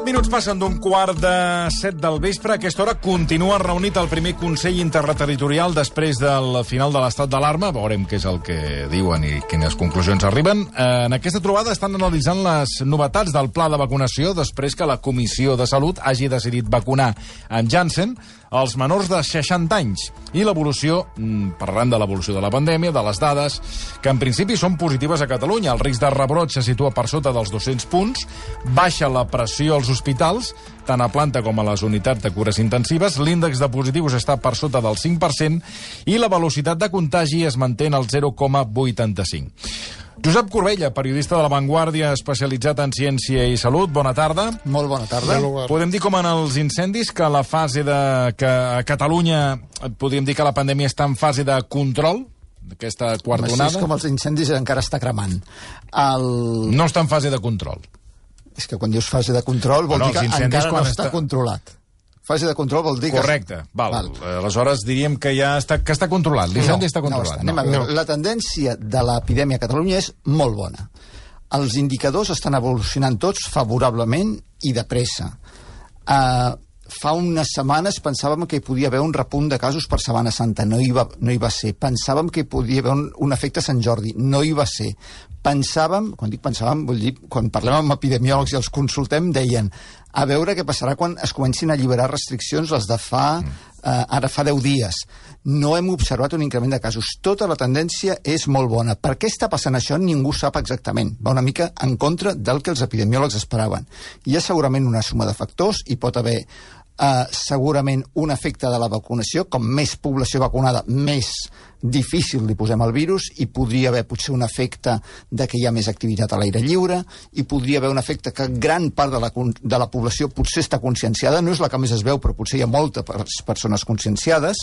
minuts passen d'un 6:15 del vespre. A aquesta hora continua reunit el primer Consell Interterritorial després del final de l'estat d'alarma. Veurem què és el que diuen i quines conclusions arriben. En aquesta trobada estan analitzant les novetats del pla de vacunació després que la Comissió de Salut hagi decidit vacunar amb Janssen els menors de 60 anys. I l'evolució, parlaran de l'evolució de la pandèmia, de les dades, que en principi són positives a Catalunya. El risc de rebrot se situa per sota dels 200 punts, baixa la pressió als hospitals, tant a planta com a les unitats de cures intensives, l'índex de positius està per sota del 5% i la velocitat de contagi es manté al 0,85. Josep Corbella, periodista de La Vanguardia, especialitzat en ciència i salut. Bona tarda. Molt bona tarda. Podem dir, com en els incendis, que la fase que a Catalunya, podríem dir que la pandèmia està en fase de control, d'aquesta quarta onada? Així com els incendis encara està cremant. No està en fase de control. És que quan dius fase de control vol dir que encara no està controlat. Fase de control vol dir que... Correcte, val. Aleshores diríem que ja està controlat. L'incendi està controlat. Anem a veure. La tendència de l'epidèmia a Catalunya és molt bona. Els indicadors estan evolucionant tots favorablement i de pressa. Fa unes setmanes pensàvem que hi podia haver un repunt de casos per Setmana Santa. No hi va ser. Pensàvem que hi podia haver un efecte Sant Jordi. No hi va ser. Pensàvem, quan dic pensàvem, vull dir, quan parlem amb epidemiòlegs i els consultem, deien a veure què passarà quan es comencin a alliberar restriccions, les de ara fa 10 dies. No hem observat un increment de casos. Tota la tendència és molt bona. Per què està passant això? Ningú sap exactament. Va una mica en contra del que els epidemiòlegs esperaven. Hi ha segurament una suma de factors, hi pot haver segurament un efecte de la vacunació, com més població vacunada, més difícil li posem el virus, i podria haver potser un efecte de que hi ha més activitat a l'aire lliure, i podria haver un efecte que gran part de la població potser està conscienciada, no és la que més es veu, però potser hi ha moltes persones conscienciades.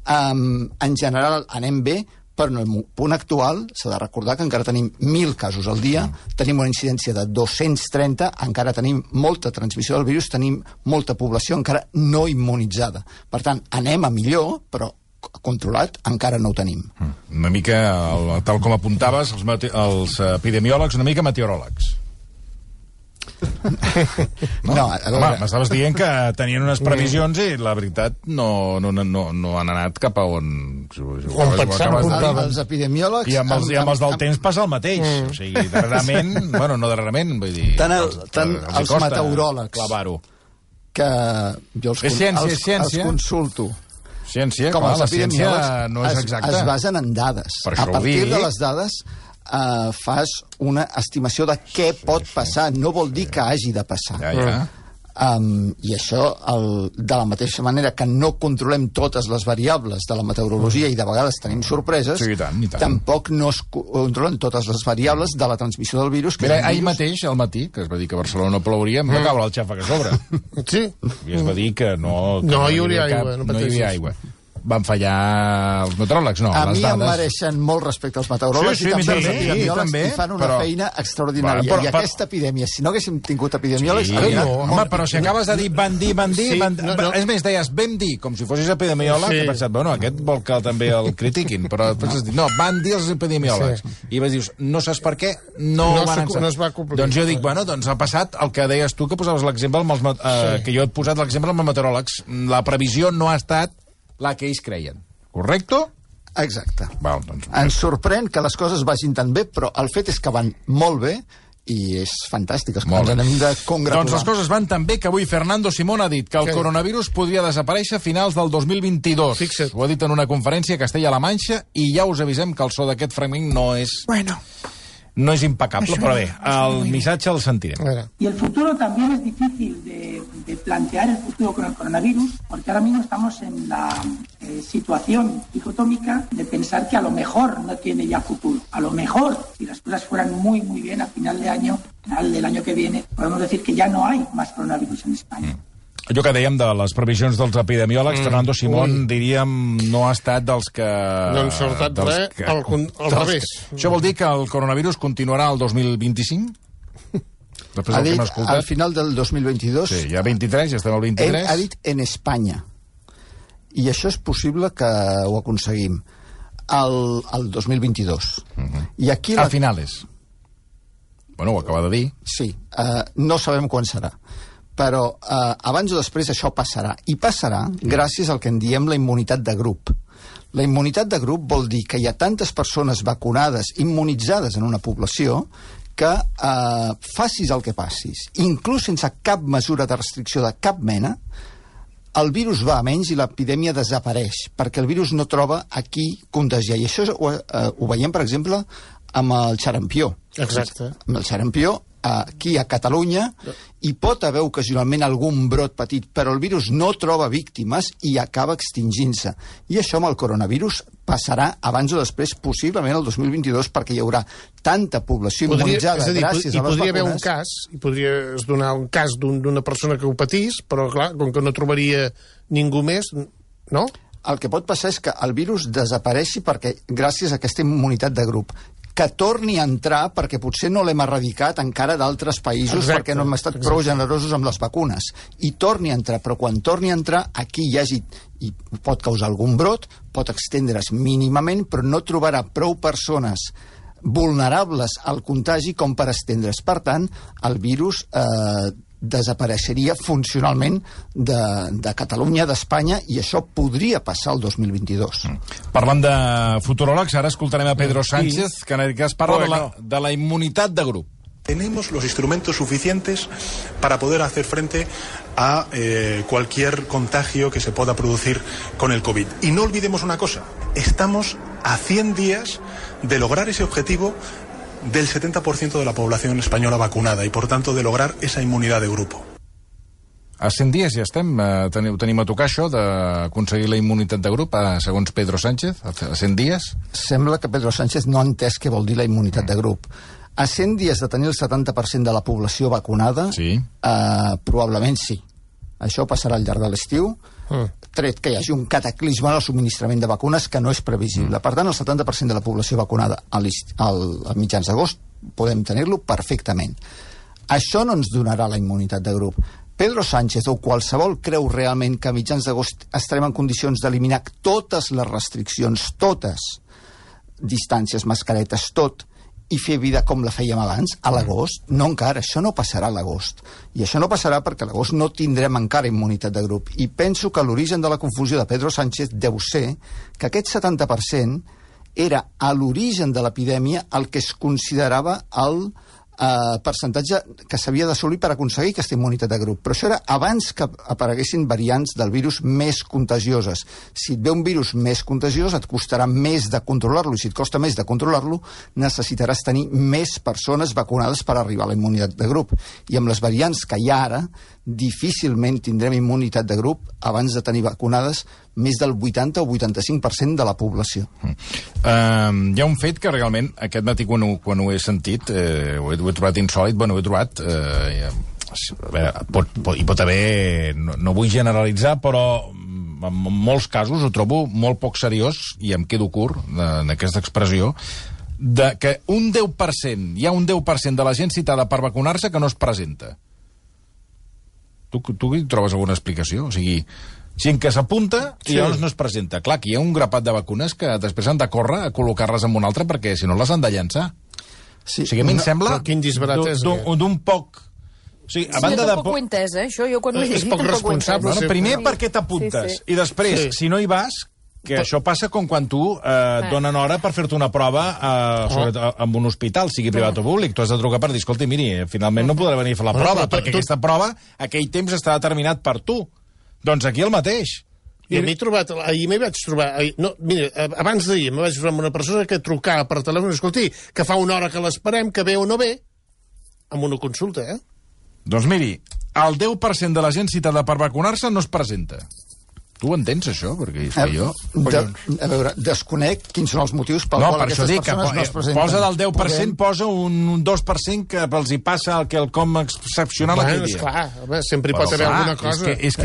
En general anem bé, però en el punt actual s'ha de recordar que encara tenim 1.000 casos al dia, tenim una incidència de 230, encara tenim molta transmissió del virus, tenim molta població encara no immunitzada. Per tant, anem a millor, però controlat encara no ho tenim. Una mica, tal com apuntaves, els epidemiòlegs, una mica meteoròlegs. No, m'estaves dient que tenien unes previsions i la veritat no han anat cap a on els epidemiòlegs i amb els del temps passa el mateix. O sigui, darrerament, bueno, no darrerament, vull dir, tant els meteoròlegs clavar-ho, que jo els consulto. Ciència, clar, la ciència no és exacta. Es basen en dades. A partir de les dades fas una estimació de què pot passar. No vol dir que hagi de passar. I això, de la mateixa manera que no controlem totes les variables de la meteorologia i de vegades tenim sorpreses, sí, i tant. Tampoc no es controlen totes les variables de la transmissió del virus. Mira, ahir mateix, al matí, que es va dir que a Barcelona no plouria, em va caure el xafa que sobre. Sí. I es va dir que no hi hauria aigua. No hi havia aigua. Van fallar els meteoròlegs, no, les dades. A mi em mereixen molt respecte als meteoròlegs i també els epidemiòlegs, i fan una feina extraordinària. I aquesta epidèmia, si no haguéssim tingut epidemiòlegs... Home, però si acabes de dir van dir... És més, deies vam dir, com si fossis epidemiòleg, he pensat, bueno, aquest vol que també el critiquin, però després has dit, no, van dir els epidemiòlegs. I vas dir, no saps per què, no es va complir. Doncs jo dic, bueno, doncs ha passat el que deies tu, que posaves l'exemple, que jo he posat l'exemple amb els meteoròlegs. La previsió no ha estat la que ells creien. Correcto? Exacte. Val, doncs, ens sorprèn que les coses vagin tan bé, però el fet és que van molt bé i és fantàstic. Ens n'hem de congratular. Doncs les coses van tan bé que avui Fernando Simón ha dit que el coronavirus podria desaparèixer a finals del 2022. Fixa't. Ho ha dit en una conferència a Castella-La Manxa i ja us avisem que el so d'aquest fragment no és... No es impecable, pero bien, el missatge el sentirem. Y el futuro también es difícil de plantear el futuro con el coronavirus, porque ahora mismo estamos en la situación dicotómica de pensar que a lo mejor no tiene ya futuro. A lo mejor, si las cosas fueran muy, muy bien a final de año, final del año que viene, podemos decir que ya no hay más coronavirus en España. Allò que dèiem de les previsions dels epidemiòlegs, Fernando Simón, diríem, no ha estat dels que... No han sortat res, al revés. Això vol dir que el coronavirus continuarà el 2025? Ha dit al final del 2022... Sí, ja 23, ja estem al 23. Ha dit en Espanya. I això és possible que ho aconseguim al 2022. I aquí a finales. Bueno, ho acaba de dir. Sí, no sabem quan serà. però abans o després això passarà. I passarà gràcies al que en diem la immunitat de grup. La immunitat de grup vol dir que hi ha tantes persones vacunades, immunitzades en una població, que facis el que passis, inclús sense cap mesura de restricció de cap mena, el virus va a menys i l'epidèmia desapareix, perquè el virus no troba a qui contagiar. I això ho veiem, per exemple, amb el xarampió. Exacte. Amb el xarampió, aquí a Catalunya, hi pot haver ocasionalment algun brot petit, però el virus no troba víctimes i acaba extingint-se. I això amb el coronavirus passarà abans o després, possiblement el 2022, perquè hi haurà tanta població immunitzada gràcies a les vacunes. Podria haver un cas, i podries donar un cas d'una persona que ho patís, però clar, com que no trobaria ningú més, no? El que pot passar és que el virus desapareixi perquè gràcies a aquesta immunitat de grup, que torni a entrar perquè potser no l'hem erradicat encara d'altres països. Exacte, perquè no hem estat prou generosos amb les vacunes, i torni a entrar, però quan torni a entrar aquí i pot causar algun brot, pot extendre's mínimament, però no trobarà prou persones vulnerables al contagi com per estendre's. Per tant, el virus desapareixeria funcionalment de Catalunya, d'Espanya, i això podria passar el 2022. Parlant de futuròlegs, ara escoltarem a Pedro Sánchez, que es parla de la immunitat de grup. Tenemos los instrumentos suficientes para poder hacer frente a cualquier contagio que se pueda producir con el COVID. Y no olvidemos una cosa, estamos a 100 días de lograr ese objetivo del 70% de la población española vacunada y, por tanto, de lograr esa inmunidad de grupo. A 100 dies ja estem. Tenim a tocar això d'aconseguir la immunitat de grup, segons Pedro Sánchez, a 100 dies? Sembla que Pedro Sánchez no ha entès què vol dir la immunitat de grup. A 100 dies de tenir el 70% de la població vacunada, sí. Probablement sí. Això passarà al llarg de l'estiu, tret que hi hagi un cataclisme en el subministrament de vacunes que no és previsible. Per tant, el 70% de la població vacunada a mitjans d'agost podem tenir-lo perfectament. Això no ens donarà la immunitat de grup. Pedro Sánchez o qualsevol creu realment que a mitjans d'agost estarem en condicions d'eliminar totes les restriccions, totes, distàncies, mascaretes, tot, i fer vida com la fèiem abans, a l'agost? No encara, això no passarà a l'agost. I això no passarà perquè a l'agost no tindrem encara immunitat de grup. I penso que l'origen de la confusió de Pedro Sánchez deu ser que aquest 70% era a l'origen de l'epidèmia el que es considerava el percentatge que s'havia d'assolir per aconseguir aquesta immunitat de grup. Però això era abans que apareguessin variants del virus més contagioses. Si et ve un virus més contagiós, et costarà més de controlar-lo, i si et costa més de controlar-lo, necessitaràs tenir més persones vacunades per arribar a la immunitat de grup. I amb les variants que hi ha ara, difícilment tindrem immunitat de grup abans de tenir vacunades més del 80 o 85% de la població. Hi ha un fet que realment aquest matí quan ho he sentit ho he trobat insòlit, ho he trobat hi pot haver, no vull generalitzar, però en molts casos ho trobo molt poc seriós, i em quedo curt en aquesta expressió, de que hi ha un 10% de la gent citada per vacunar-se que no es presenta. Tu hi trobes alguna explicació? O sigui, gent que s'apunta i llavors no es presenta. Clar, que hi ha un grapat de vacunes que després han de córrer a col·locar-les en una altra perquè si no les han de llançar. Sí, o sigui, a mi em sembla d'un poc... O sigui, a banda tampoc ho he entès, això jo quan ho he llegit tampoc responsable. Primer perquè t'apuntes i després, si no hi vas, que això passa com quan tu et donen hora per fer-te una prova en un hospital, sigui privat o públic. Tu has de trucar per dir, escolta, miri, finalment no podré venir a fer la prova, perquè aquesta prova, aquell temps està determinat per tu. Doncs aquí el mateix. I a mi ahir m'hi vaig trobar... Mira, abans d'ahir m'hi vaig trobar amb una persona que trucava per telèfon, escolti, que fa una hora que l'esperem, que ve o no ve, amb una consulta, Doncs miri, el 10% de la gent citada per vacunar-se no es presenta. Tu ho entens, això? Perquè és que jo... A veure, desconec quins són els motius pel qual aquestes persones no es presenten. Posa del 10%, posa un 2% que els hi passa el quelcom excepcional aquell dia. Esclar, sempre hi pot haver alguna cosa. És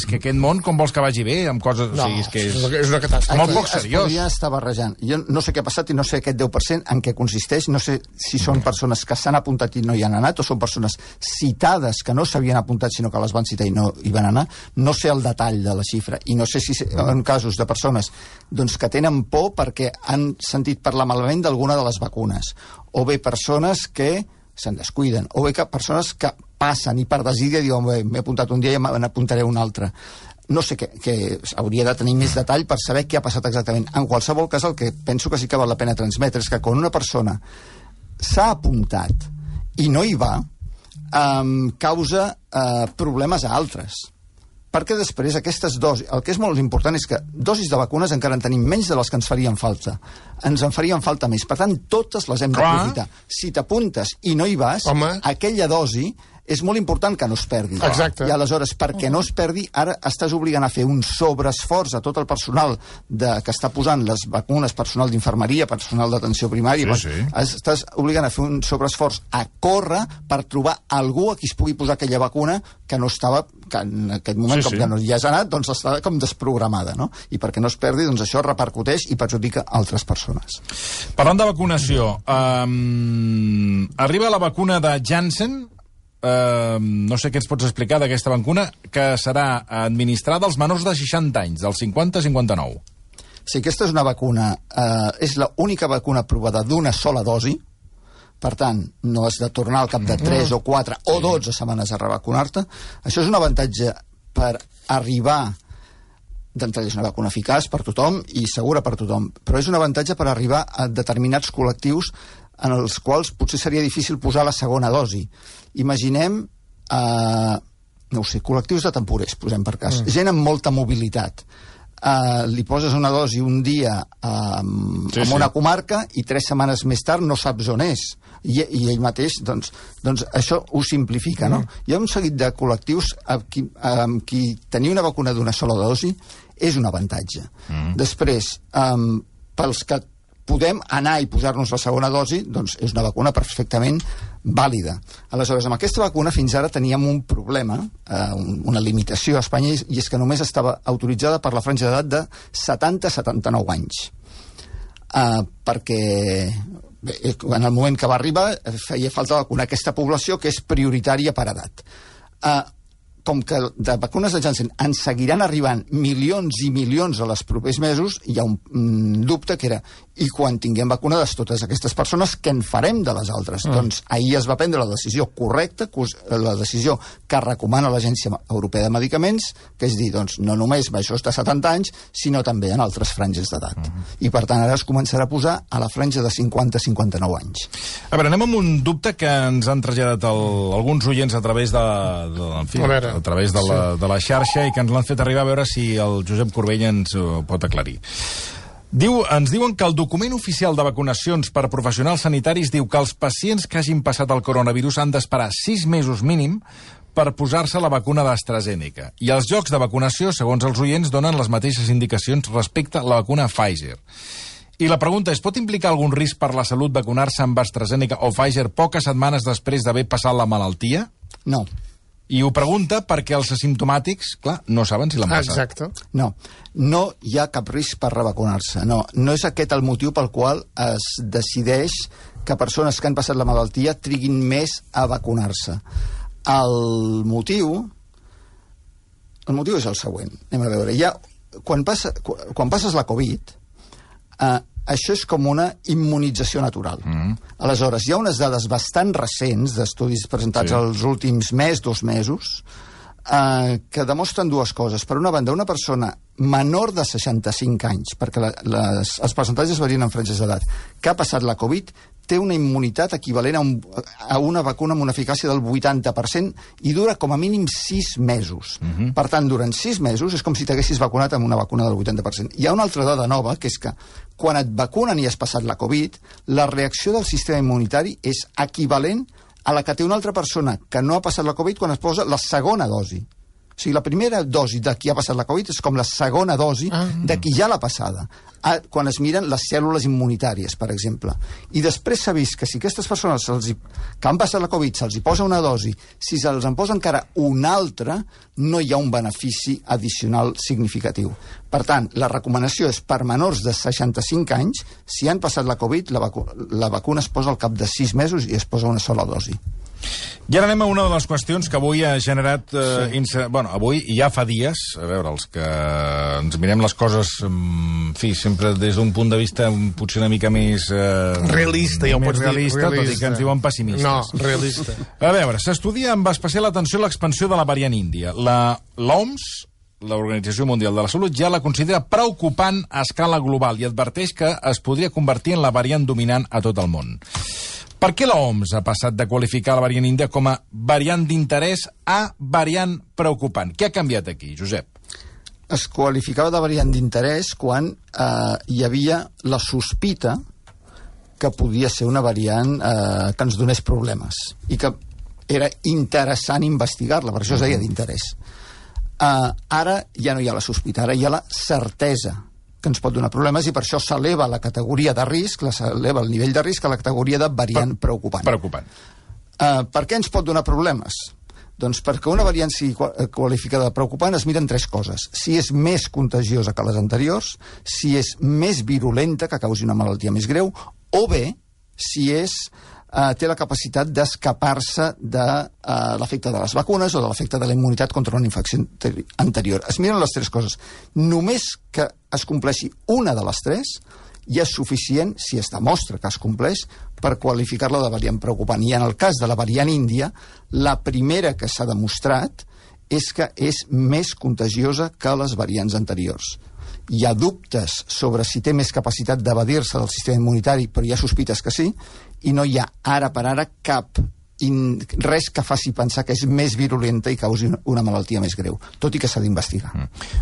que aquest món, com vols que vagi bé, amb coses... No, és una catàstrofe. Molt poc seriós. Es podria estar barrejant. Jo no sé què ha passat i no sé aquest 10% en què consisteix, no sé si són persones que s'han apuntat i no hi han anat, o són persones citades que no s'havien apuntat sinó que les van citar i no hi van anar. No sé el detall de la xifra. I no sé si en casos de persones que tenen por perquè han sentit parlar malament d'alguna de les vacunes, o bé persones que se'n descuiden, o bé persones que passen i per desídia diuen m'he apuntat un dia i me n'apuntaré un altre. No sé que hauria de tenir més detall per saber què ha passat exactament. En qualsevol cas, el que penso que sí que val la pena transmetre és que quan una persona s'ha apuntat i no hi va, causa problemes a altres. Perquè després aquestes dosis... El que és molt important és que dosis de vacunes encara en tenim menys de les que ens farien falta. Ens en farien falta més. Per tant, totes les hem d'aprofitar. Si t'apuntes i no hi vas, aquella dosi és molt important que no es perdi. Exacte. I aleshores, perquè no es perdi, ara estàs obligant a fer un sobreesforç a tot el personal que està posant les vacunes, personal d'infermeria, personal d'atenció primària, estàs obligant a fer un sobreesforç a córrer per trobar algú a qui es pugui posar aquella vacuna que no estava, que en aquest moment, com que no hi has anat, doncs està com desprogramada, no? I perquè no es perdi, doncs això repercuteix i perjudica altres persones. Parlant de vacunació, arriba la vacuna de Janssen. No sé què ens pots explicar d'aquesta vacuna, que serà administrada als menors de 60 anys, dels 50 a 59. Sí, aquesta és una vacuna, és l'única vacuna aprovada d'una sola dosi, per tant, no has de tornar al cap de 3 o 4 o 12 setmanes a revacunar-te. Això és un avantatge per arribar... D'entrada és una vacuna eficaç per tothom i segura per tothom, però és un avantatge per arribar a determinats col·lectius en els quals potser seria difícil posar la segona dosi. Imaginem, no ho sé, col·lectius de temporers, posem per cas. Gent amb molta mobilitat. Li poses una dosi un dia en una comarca i 3 setmanes més tard no saps on és. I ell mateix, doncs això ho simplifica, no? Hi ha un seguit de col·lectius amb qui tenir una vacuna d'una sola dosi és un avantatge. Després, pels que podem anar i posar-nos la segona dosi, doncs és una vacuna perfectament vàlida. Aleshores, amb aquesta vacuna fins ara teníem un problema, una limitació a Espanya, i és que només estava autoritzada per la franja d'edat de 70 a 79 anys. Perquè en el moment que va arribar feia falta vacunar aquesta població que és prioritària per edat. Com que de vacunes de Janssen en seguiran arribant milions i milions a les propers mesos, hi ha un dubte que era, i quan tinguem vacunades totes aquestes persones, què en farem de les altres? Doncs ahir es va prendre la decisió correcta, la decisió que recomana l'Agència Europea de Medicaments, que és dir, doncs, no només majors de 70 anys, sinó també en altres franges d'edat. I per tant ara es començarà a posar a la franja de 50 a 59 anys. A veure, anem amb un dubte que ens han traslladat alguns oients a través a través de la xarxa i que ens l'han fet arribar, a veure si el Josep Corbella ens ho pot aclarir. Ens diuen que el document oficial de vacunacions per professionals sanitaris diu que els pacients que hagin passat el coronavirus han d'esperar 6 mesos mínim per posar-se la vacuna d'AstraZeneca. I els llocs de vacunació, segons els oients, donen les mateixes indicacions respecte a la vacuna Pfizer. I la pregunta és, pot implicar algun risc per la salut vacunar-se amb AstraZeneca o Pfizer poques setmanes després d'haver passat la malaltia? No. I ho pregunta perquè els asimptomàtics, clar, no saben si l'han passat. Exacte. No hi ha cap risc per revacunar-se. No és aquest el motiu pel qual es decideix que persones que han passat la malaltia triguin més a vacunar-se. El motiu és el següent. Anem a veure. Quan passes la Covid, això és com una immunització natural. Aleshores, hi ha unes dades bastant recents d'estudis presentats els últims 2 mesos que demostren dues coses. Per una banda, una persona menor de 65 anys, perquè els percentatges varien en franges d'edat, que ha passat la Covid, té una immunitat equivalent a una vacuna amb una eficàcia del 80% i dura com a mínim 6 mesos. Per tant, durant 6 mesos és com si t'haguessis vacunat amb una vacuna del 80%. Hi ha una altra dada nova, que és que quan et vacunen i has passat la Covid, la reacció del sistema immunitari és equivalent a la que té una altra persona que no ha passat la Covid quan es posa la segona dosi. O sigui, la primera dosi de qui ha passat la Covid és com la segona dosi de qui ja l'ha passada. Quan es miren les cèl·lules immunitàries, per exemple. I després s'ha vist que si aquestes persones que han passat la Covid se'ls hi posa una dosi, si se'ls en posa encara una altra, no hi ha un benefici addicional significatiu. Per tant, la recomanació és per menors de 65 anys, si han passat la Covid, la vacuna es posa al cap de 6 mesos i es posa una sola dosi. I ara anem a una de les qüestions que avui ha generat... avui i ja fa dies, a veure, els que ens mirem les coses, en fi, sempre des d'un punt de vista potser una mica més... realista, ja ho pots dir. Realista, tot i que ens diuen pessimistes. No, realista. A veure, s'estudia amb especial atenció l'expansió de la variant índia. L'OMS, l'Organització Mundial de la Salut, ja la considera preocupant a escala global i adverteix que es podria convertir en la variant dominant a tot el món. Per què l'OMS ha passat de qualificar la variant índia com a variant d'interès a variant preocupant? Què ha canviat aquí, Josep? Es qualificava de variant d'interès quan hi havia la sospita que podia ser una variant que ens donés problemes i que era interessant investigar-la, per això es deia d'interès. Ara ja no hi ha la sospita, ara hi ha la certesa que ens pot donar problemes i per això s'eleva la categoria de risc, s'eleva el nivell de risc a la categoria de variant preocupant. Preocupant. Per què ens pot donar problemes? Doncs perquè una variant sigui qualificada de preocupant es miren tres coses. Si és més contagiosa que les anteriors, si és més virulenta, que causi una malaltia més greu, o bé, si té la capacitat d'escapar-se de l'efecte de les vacunes o de l'efecte de la immunitat contra una infecció anterior. Es miren les tres coses. Només que es compleixi una de les tres ja és suficient, si es demostra que es compleix, per qualificar-la de variant preocupant. I en el cas de la variant índia, la primera que s'ha demostrat és que és més contagiosa que les variants anteriors. Hi ha dubtes sobre si té més capacitat d'evadir-se del sistema immunitari, però hi ha sospites que sí, i no hi ha ara per ara res que faci pensar que és més virulenta i causi una malaltia més greu, tot i que s'ha d'investigar.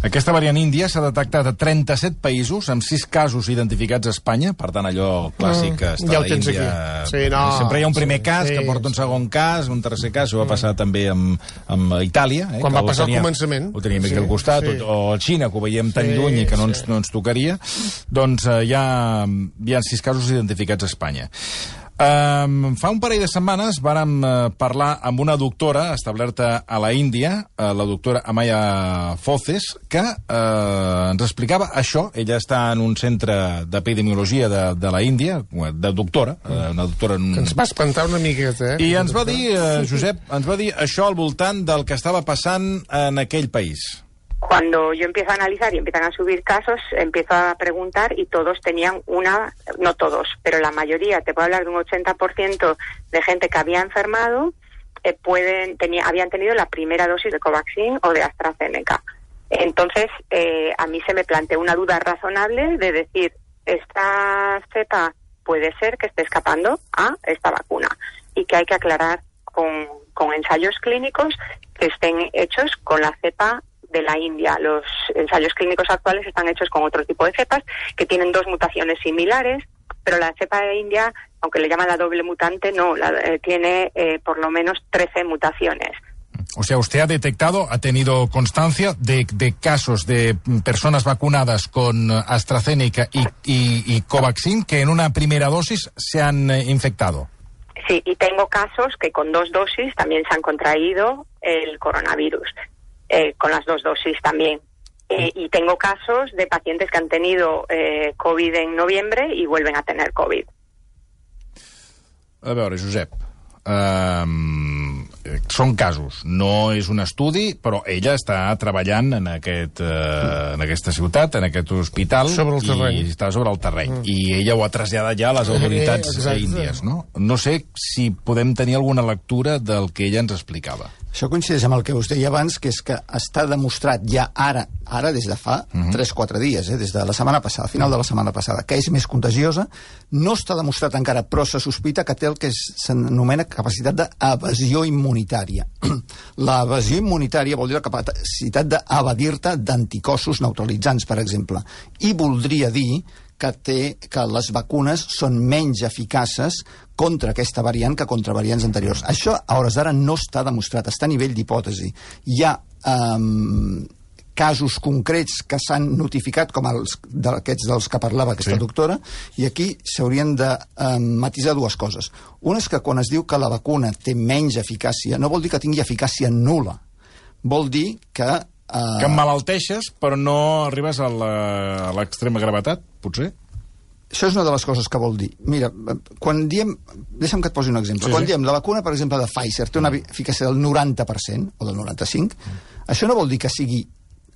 Aquesta variant índia s'ha detectat a 37 països, amb 6 casos identificats a Espanya, per tant allò clàssic que està ja a l'Índia. Sí, no, sempre hi ha un primer cas que porta un segon cas, un tercer cas, això va passar també amb Itàlia. Quan va passar al començament. Ho teníem aquí al costat, o a Xina, que ho veiem tan lluny i que no ens tocaria. Doncs hi ha 6 casos identificats a Espanya. Fa un parell de setmanes vàrem parlar amb una doctora establerta a la Índia, la doctora Amaya Foces, que ens explicava això. Ella està en un centre d'epidemiologia de la Índia, de doctora, una doctora... Que ens va espantar una miqueta, I ens va dir, Josep, això al voltant del que estava passant en aquell país. Cuando yo empiezo a analizar y empiezan a subir casos, empiezo a preguntar y todos tenían no todos, pero la mayoría, te puedo hablar de un 80% de gente que había enfermado, habían tenido la primera dosis de Covaxin o de AstraZeneca. Entonces, a mí se me planteó una duda razonable de decir, esta cepa puede ser que esté escapando a esta vacuna y que hay que aclarar con ensayos clínicos que estén hechos con la cepa de la India. Los ensayos clínicos actuales están hechos con otro tipo de cepas que tienen 2 mutaciones similares, pero la cepa de India, aunque le llaman la doble mutante, no, tiene por lo menos 13 mutaciones. O sea, usted ha tenido constancia de casos de personas vacunadas con AstraZeneca y Covaxin que en una primera dosis se han infectado. Sí, y tengo casos que con 2 dosis también se han contraído el coronavirus. Con las 2 dosis también. Y tengo casos de pacientes que han tenido COVID en noviembre y vuelven a tener COVID. A veure, Josep, són casos, no és un estudi, però ella està treballant en aquesta ciutat, en aquest hospital, i està sobre el terreny. I ella ho ha traslladat ja a les autoritats índies, no? No sé si podem tenir alguna lectura del que ella ens explicava. Això coincideix amb el que us deia abans, que és que està demostrat ja ara des de fa 3-4 dies, des de la setmana passada, final de la setmana passada, que és més contagiosa. No està demostrat encara, però se sospita que té el que s'anomena capacitat d'evasió immunitària. L'evasió immunitària vol dir la capacitat d'evadir-te d'anticossos neutralitzants, per exemple. I voldria dir que les vacunes són menys eficaces contra aquesta variant que contra variants anteriors. Això, a hores d'ara, no està demostrat, està a nivell d'hipòtesi. Hi ha casos concrets que s'han notificat, com aquests dels que parlava aquesta doctora, i aquí s'haurien de matisar 2 coses. Una és que quan es diu que la vacuna té menys eficàcia, no vol dir que tingui eficàcia nul·la. Vol dir que que emmalalteixes, però no arribes a l'extrema gravetat, potser? això és una de les coses que vol dir. Mira, quan diem... Deixa'm que et posi un exemple. Quan diem la vacuna, per exemple, de Pfizer té una eficàcia del 90% o del 95%, això no vol dir que sigui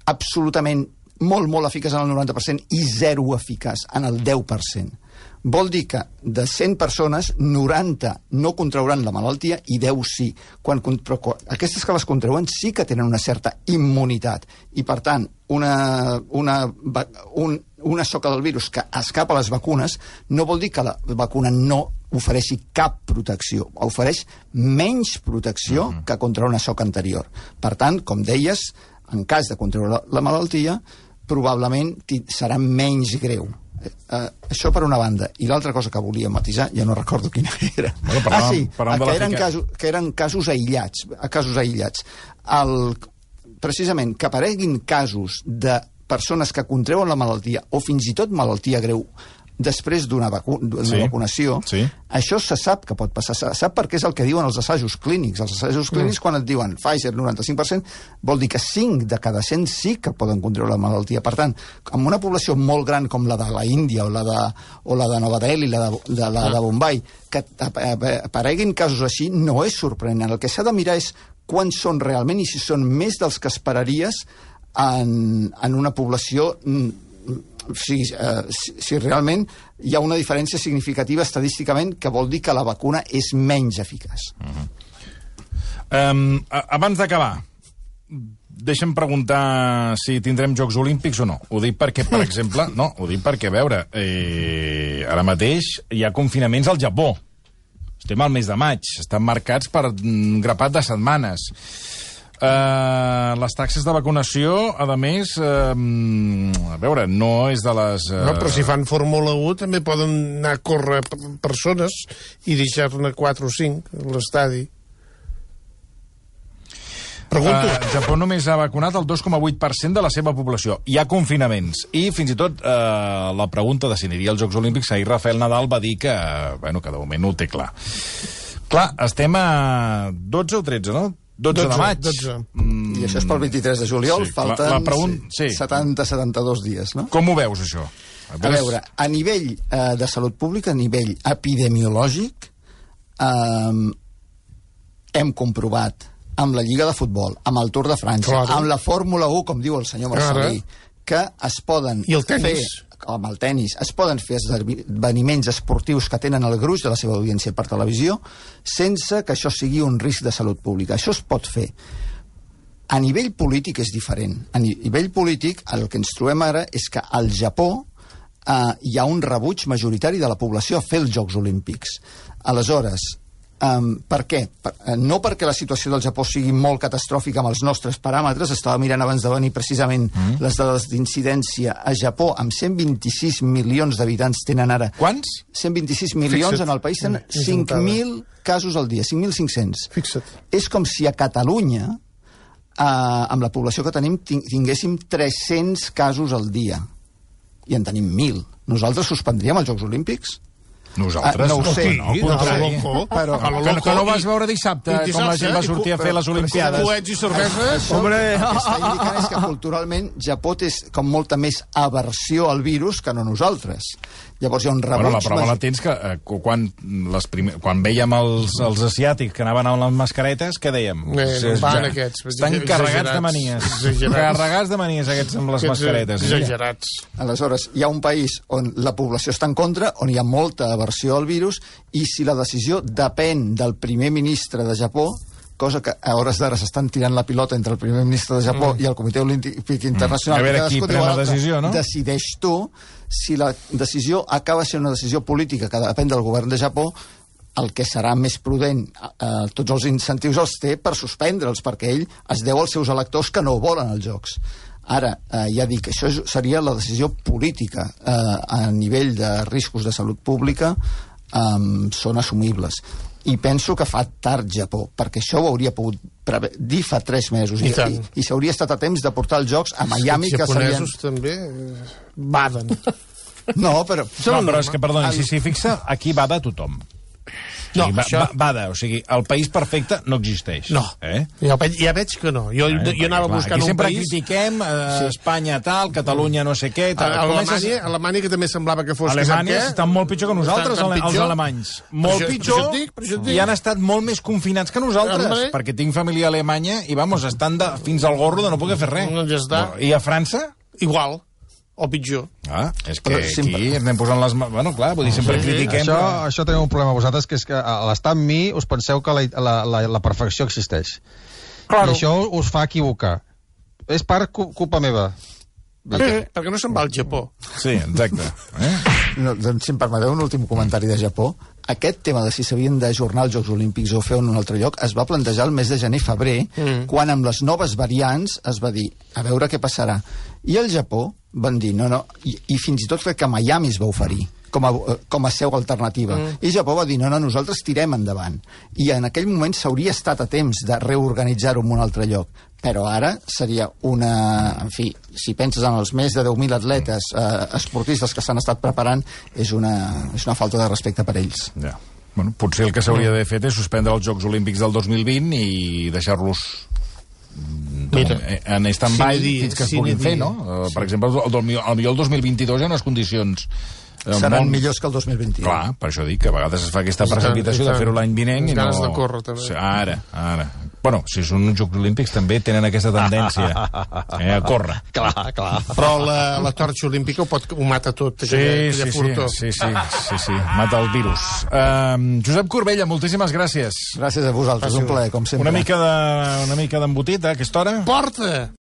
absolutament molt eficaç en el 90% i zero eficaç en el 10%. Vol dir que de 100 persones, 90 no contrauran la malaltia i 10 sí. Però aquestes que les contrauen sí que tenen una certa immunitat. I, per tant, una soca del virus que escapa a les vacunes no vol dir que la vacuna no ofereixi cap protecció. Ofereix menys protecció que contra una soca anterior. Per tant, com deies, en cas de contraure la malaltia, probablement serà menys greu. Això per una banda. I l'altra cosa que volia matisar, ja no recordo quina era. Que eren casos aïllats. Precisament, que apareguin casos de persones que contreuen la malaltia o fins i tot malaltia greu després d'una vacunació, això se sap que pot passar. Se sap perquè és el que diuen els assajos clínics. Els assajos clínics, quan et diuen Pfizer 95%, vol dir que 5 de cada 100 sí que poden contreure la malaltia. Per tant, amb una població molt gran com la de la Índia o la de Nova Delhi, la de Bombay, que apareguin casos així no és sorprenent. El que s'ha de mirar és quants són realment i si són més dels que esperaries en una població... si realment hi ha una diferència significativa estadísticament que vol dir que la vacuna és menys eficaç. Abans d'acabar, deixa'm preguntar si tindrem Jocs Olímpics o no. Ho dic perquè, per exemple... No, ho dic perquè, a veure, ara mateix hi ha confinaments al Japó. Estem al mes de maig. Estan marcats per un grapat de setmanes. Les taxes de vacunació, a més, a veure, no és de les... No, però si fan Fórmula 1 també poden anar a córrer persones i deixar-ne 4 o 5 a l'estadi. Pregunto. Japó només ha vacunat el 2,8% de la seva població. Hi ha confinaments. I fins i tot la pregunta de si aniria als Jocs Olímpics, ahir Rafael Nadal va dir que, bueno, que de moment no ho té clar. Clar, estem a 12 o 13, no? 12 de maig. 12. I això és pel 23 de juliol, falten 70-72 dies, no? Com ho veus, això? A veure, a nivell de salut pública, a nivell epidemiològic, hem comprovat amb la Lliga de Futbol, amb el Tour de França, amb la Fórmula 1, com diu el senyor Marcelí, que es poden fer... amb el tennis, es poden fer esdeveniments esportius que tenen el gruix de la seva audiència per televisió sense que això sigui un risc de salut pública. Això es pot fer. A nivell polític és diferent. A nivell polític el que ens trobem ara és que al Japó hi ha un rebuig majoritari de la població a fer els Jocs Olímpics. Aleshores, per què? No perquè la situació del Japó sigui molt catastròfica amb els nostres paràmetres, estava mirant abans de venir precisament les dades d'incidència a Japó, amb 126 milions d'habitants tenen ara... Quants? 126 milions en el país, tenen 5.000 casos al dia, 5.500. Fixa't. És com si a Catalunya, amb la població que tenim, tinguéssim 300 casos al dia. I en tenim 1.000. Nosaltres suspendríem els Jocs Olímpics? Nosaltres? No ho sé. Que no vas veure dissabte com la gent va sortir a fer les Olimpiades. Coets i cerveses. El que està indicant és que culturalment Japó té com molta més aversió al virus que no nosaltres. Llavors hi ha un rebuig... Bueno, la prova la tens que quan vèiem els asiàtics que anaven amb les mascaretes, què dèiem? Estan carregats de manies. Carregats de manies aquests amb les mascaretes. Exagerats. Aleshores, hi ha un país on la població està en contra, on hi ha molta aversió al virus, i si la decisió depèn del primer ministre de Japó, cosa que a hores d'ara s'estan tirant la pilota entre el primer ministre de Japó i el Comitè Olímpic Internacional. A veure qui pren la decisió, no? Decideix tu. Si la decisió acaba sent una decisió política que depèn del govern de Japó, el que serà més prudent, tots els incentius els té per suspendre'ls, perquè ell es deu als seus electors que no volen els Jocs. Ara, ja dic, això seria la decisió política. A nivell de riscos de salut pública són assumibles. I penso que fa tard Japó, perquè això ho hauria pogut dir fa 3 mesos. I s'hauria estat a temps de portar els Jocs a Miami. Els japonesos també baden. No, però... No, però és que, perdoni, si s'hi fixa, aquí bada tothom. No, o sigui, el país perfecte no existeix. No, ja veig que no. Jo anava buscant un país... Sempre critiquem Espanya tal, Catalunya no sé què... Alemanya, que també semblava que fos... Alemanya estan molt pitjor que nosaltres, els alemanys. Molt pitjor, i han estat molt més confinats que nosaltres, perquè tinc família a Alemanya i, vamos, estan fins al gorro de no poder fer res. Ja està. I a França? Igual. O pitjor. És que aquí anem posant les... Bueno, clar, vull dir, sempre critiquem... Això tenim un problema vosaltres, que és que a l'estat mi us penseu que la perfecció existeix. I això us fa equivocar. És part culpa meva. Perquè no se'n va al Japó. Sí, exacte. Doncs, si em permeteu un últim comentari de Japó, aquest tema de si s'havien d'ajornar els Jocs Olímpics o fer en un altre lloc es va plantejar el mes de gener-febrer, quan amb les noves variants es va dir, a veure què passarà. I el Japó van dir, no, i fins i tot crec que Miami es va oferir com a seu alternativa. I Japó va dir, no, nosaltres tirem endavant. I en aquell moment s'hauria estat a temps de reorganitzar-ho en un altre lloc. Però ara seria una... En fi, si penses en els més de 10.000 atletes esportistes que s'han estat preparant, és una falta de respecte per ells. Ja. Bueno, potser el que s'hauria d'haver fet és suspendre els Jocs Olímpics del 2020 i deixar-los en stand-by fins que es puguin fer, no? Per exemple, potser el 2022 hi ha unes condicions... Seran millors que el 2021. Clar, per això dic que a vegades es fa aquesta precipitació de fer-ho l'any vinent i no... Ganes de córrer, també. Ara. Bueno, si són uns Jocs Olímpics també tenen aquesta tendència a córrer. Clar. Però la torxa olímpica ho mata tot, aquella furtó. Sí, mata el virus. Josep Corbella, moltíssimes gràcies. Gràcies a vosaltres, un plaer, com sempre. Una mica d'embotit a aquesta hora? Porta!